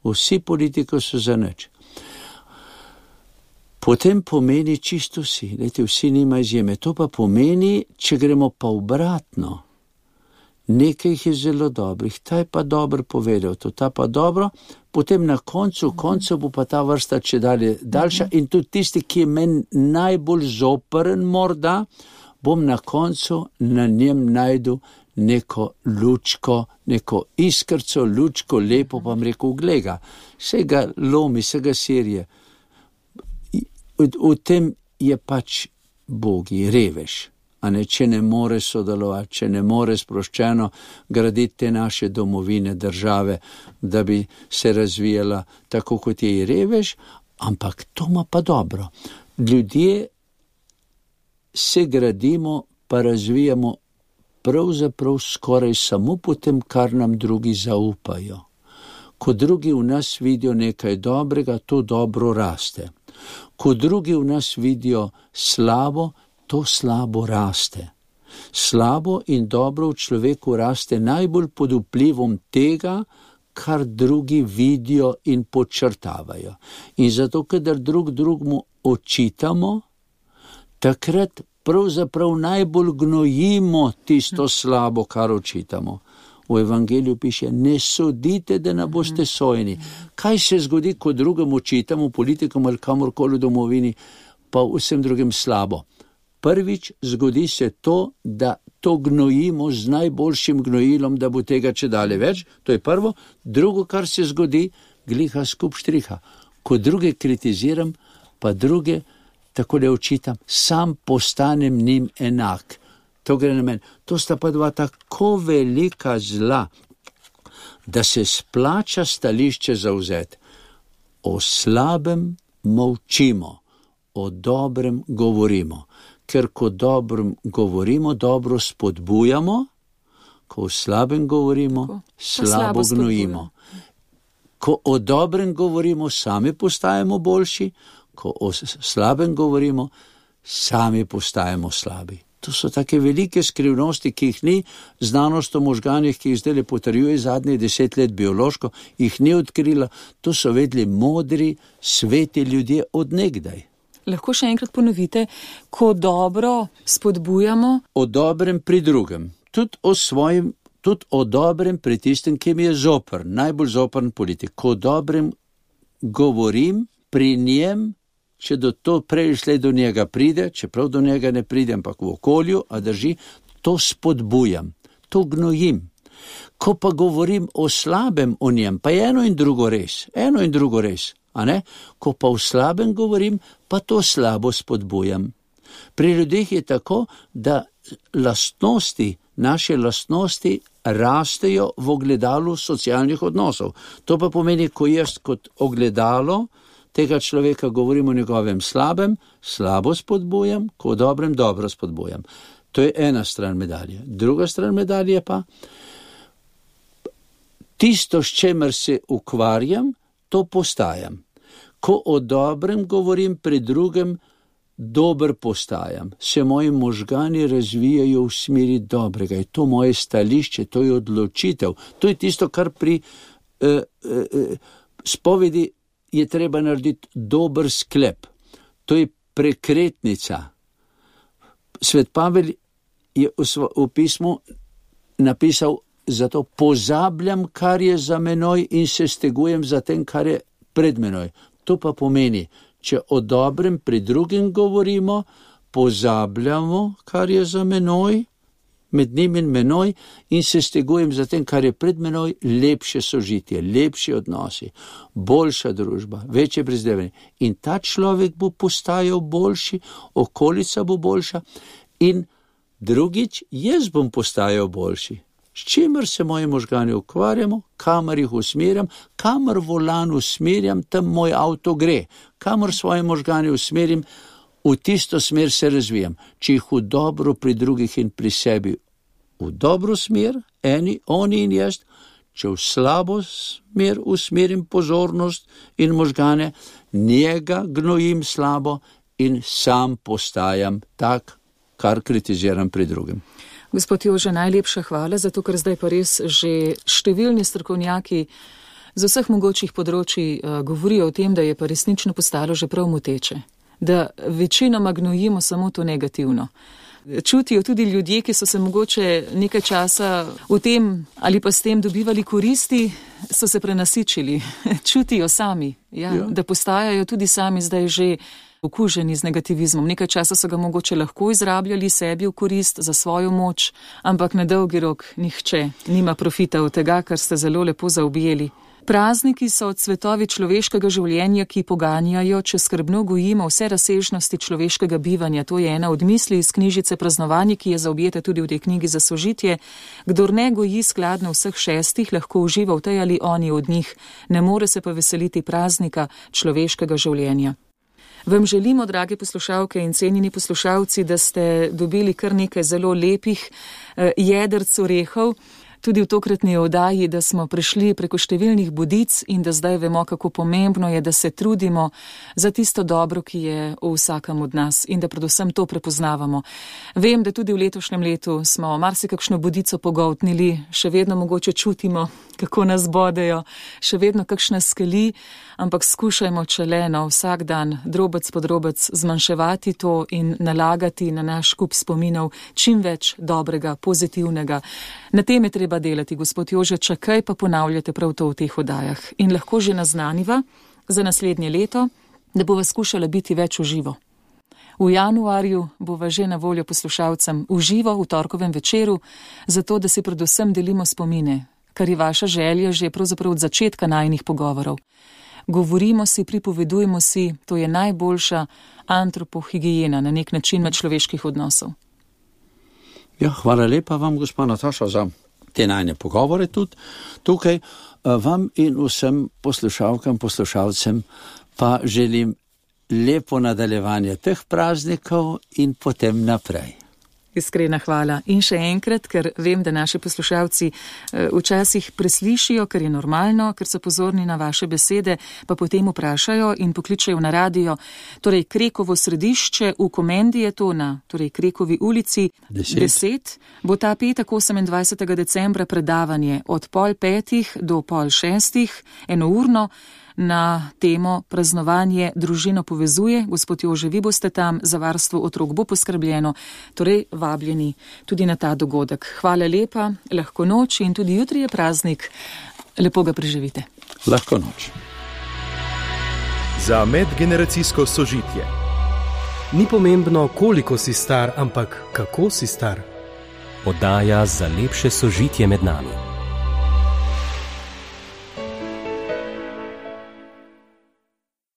vsi politiki so za nič. Potem pomeni čisto vsi. Lejte, vsi nima izjeme. To pa pomeni, če gremo pa obratno. Nekaj jih je zelo dobrih, ta je pa dobro povedal, to ta pa dobro, potem na koncu, koncu bo pa ta vrsta če dalje daljša in tudi tisti, ki je meni najbolj zoperen morda, bom na koncu na njem najdu neko lučko, neko iskrco, lučko, lepo, pa mi rekel, glega, se ga lomi, se ga sirje. V, v tem je pač Bogi, revež. A ne, če ne more sodelovati, če ne more sproščeno graditi te naše domovine, države, da bi se razvijala tako, kot je revež, ampak to ima pa dobro. Ljudje se gradimo, pa razvijamo pravzaprav skoraj samo po tem, kar nam drugi zaupajo. Ko drugi v nas vidijo nekaj dobrega, to dobro raste. Ko drugi v nas vidijo slabo, to slabo raste. Slabo in dobro v človeku raste najbolj pod vplivom tega, kar drugi vidijo in podčrtavajo. In zato, kadar drug drugmu očitamo, takrat pravzaprav najbolj gnojimo tisto slabo, kar očitamo. V evangeliju piše, ne sodite, da ne boste sojeni. Kaj se zgodi, ko drugemu očitamo, politikom ali kamorkoli v domovini, pa vsem drugim slabo? Prvič, zgodi se to, da to gnojimo z najboljšim gnojilom, da bo tega če dalje več. To je prvo. Drugo, kar se zgodi, gliha skup štriha. Ko druge kritiziram, pa druge tako le očitam, sam postanem njim enak. To gre na meni. To sta pa dva tako velika zla, da se splača stališče zauzeti. O slabem molčimo, o dobrem govorimo. Ker ko dobrem govorimo, dobro spodbujamo, ko o slabem govorimo, ko slabo gnojimo. Ko o dobrem govorimo, sami postajamo boljši, ko o slabem govorimo, sami postajamo slabi. To so take velike skrivnosti, ki jih ni znanost o možganjih, ki jih zdaj potrjuje zadnjih deset let biološko, jih ni odkrila. To so vedeli modri, sveti ljudje od nekdaj. Lahko še enkrat ponovite, ko dobro spodbujamo? O dobrem pri drugem. Tudi o svojem, tudi o dobrem pri tistem, ki mi je zoper, najbolj zoprn politik. Ko dobrem govorim pri njem, če do to prej šle do njega pride, čeprav do njega ne pride, ampak v okolju, a drži, to spodbujam, to gnojim. Ko pa govorim o slabem o njem, pa je eno in drugo res, eno in drugo res, a ne? Ko pa o slabem govorim, pa to slabo spodbujam. Pri ljudeh je tako, da lastnosti, naše lastnosti rastejo v ogledalu socialnih odnosov. To pa pomeni, ko jaz kot ogledalo tega človeka govorim o njegovem slabem, slabo spodbujam, ko o dobrem dobro spodbujam. To je ena stran medalje. Druga stran medalje pa, tisto, s čemer se ukvarjam, to postajam. Ko o dobrem govorim pri drugem, dober postajam. Se moji možgani razvijajo v smeri dobrega. Je to moje stališče, to je odločitev. To je tisto, kar pri eh, eh, spovedi je treba narediti dober sklep. To je prekretnica. Svet Pavel je v pismu napisal, zato pozabljam, kar je za menoj in se stegujem za tem, kar je pred menoj. To pa pomeni, če o dobrem pri drugim govorimo, pozabljamo, kar je za menoj, med njim in menoj, in se stegujem za tem, kar je pred menoj, lepše sožitje, lepši odnosi, boljša družba, večje prizdevanje. In ta človek bo postajal boljši, okolica bo boljša in drugič, jaz bom postajal boljši. S čimer se moji možgani ukvarjamo, kamor jih usmerjam, kamor volan usmerjam, tam moj avto gre, kamor svoje možgani usmerjam, v tisto smer se razvijam. Če jih v dobro pri drugih in pri sebi v dobro smer, eni, oni in jaz, če v slabo smer usmerim pozornost in možgane, njega gnojim slabo in sam postajam tak, kar kritiziram pri drugem. Gospod Jože, najlepša hvala, zato ker zdaj pa res že številni strokovnjaki z vseh mogočih področji uh, govorijo o tem, da je pa resnično postalo že prav moteče, da večinoma gnojimo samo to negativno. Čutijo tudi ljudje, ki so se mogoče nekaj časa v tem ali pa s tem dobivali koristi, so se prenasičili. Čutijo sami, ja, ja. Da postajajo tudi sami zdaj že okuženi z negativizmom. Nekaj časa so ga mogoče lahko izrabljali sebi v korist za svojo moč, ampak na dolgi rok nihče nima profita od tega, kar ste zelo lepo zaobjeli. Prazniki so cvetovi človeškega življenja, ki poganjajo, če skrbno gojimo vse razsežnosti človeškega bivanja. To je ena od misli iz knjižice Praznovanje, ki je zaobjeta tudi v tej knjigi za sožitje. Kdor ne goji skladno vseh šestih, lahko uživa v tej ali oni od njih, ne more se pa veseliti praznika človeškega življenja. Vam želimo, drage poslušalke in cenjeni poslušalci, da ste dobili kar nekaj zelo lepih eh, jedrc orehov, tudi v tokratni oddaji, da smo prišli preko številnih bodic in da zdaj vemo, kako pomembno je, da se trudimo za tisto dobro, ki je v vsakem od nas in da predvsem to prepoznavamo. Vem, da tudi v letošnjem letu smo marsikakšno bodico pogoltnili, še vedno mogoče čutimo, kako nas bodejo, še vedno kakšna skeli, ampak skušajmo čeleno vsak dan, drobec po drobec, zmanjševati to in nalagati na naš kup spominov čim več dobrega, pozitivnega. Na tem je treba delati, gospod Jože, čakaj pa ponavljate prav to v teh oddajah. In lahko že naznaniva za naslednje leto, da bova skušala biti več v živo. V januarju bova že na voljo poslušalcem v živo v torkovem večeru, zato da si predvsem delimo spomine, kar je vaša želja že pravzaprav od začetka najinih pogovorov. Govorimo si, pripovedujemo si, to je najboljša antropohigiena na nek način med človeških odnosov. Ja, hvala lepa vam, gospa Nataša, za te najne pogovore tudi tukaj. Vam in vsem poslušalkam, poslušalcem pa želim lepo nadaljevanje teh praznikov in potem naprej. Iskrena hvala. In še enkrat, ker vem, da naši poslušalci včasih preslišijo, ker je normalno, ker so pozorni na vaše besede, pa potem vprašajo in pokličajo na radio. Torej, Krekovo središče v Komendi je to na torej Krekovi ulici deset. Bo ta petek osemindvajsetega decembra predavanje od pol petih do pol šestih, enourno, na temo Praznovanje družino povezuje. Gospod Jože, vi boste tam, za varstvo otrok bo poskrbljeno, torej vabljeni tudi na ta dogodek. Hvala lepa, lahko noč in tudi jutri je praznik. Lepo ga preživite. Lahko noč. Za medgeneracijsko sožitje. Ni pomembno, koliko si star, ampak kako si star. Oddaja za lepše sožitje med nami.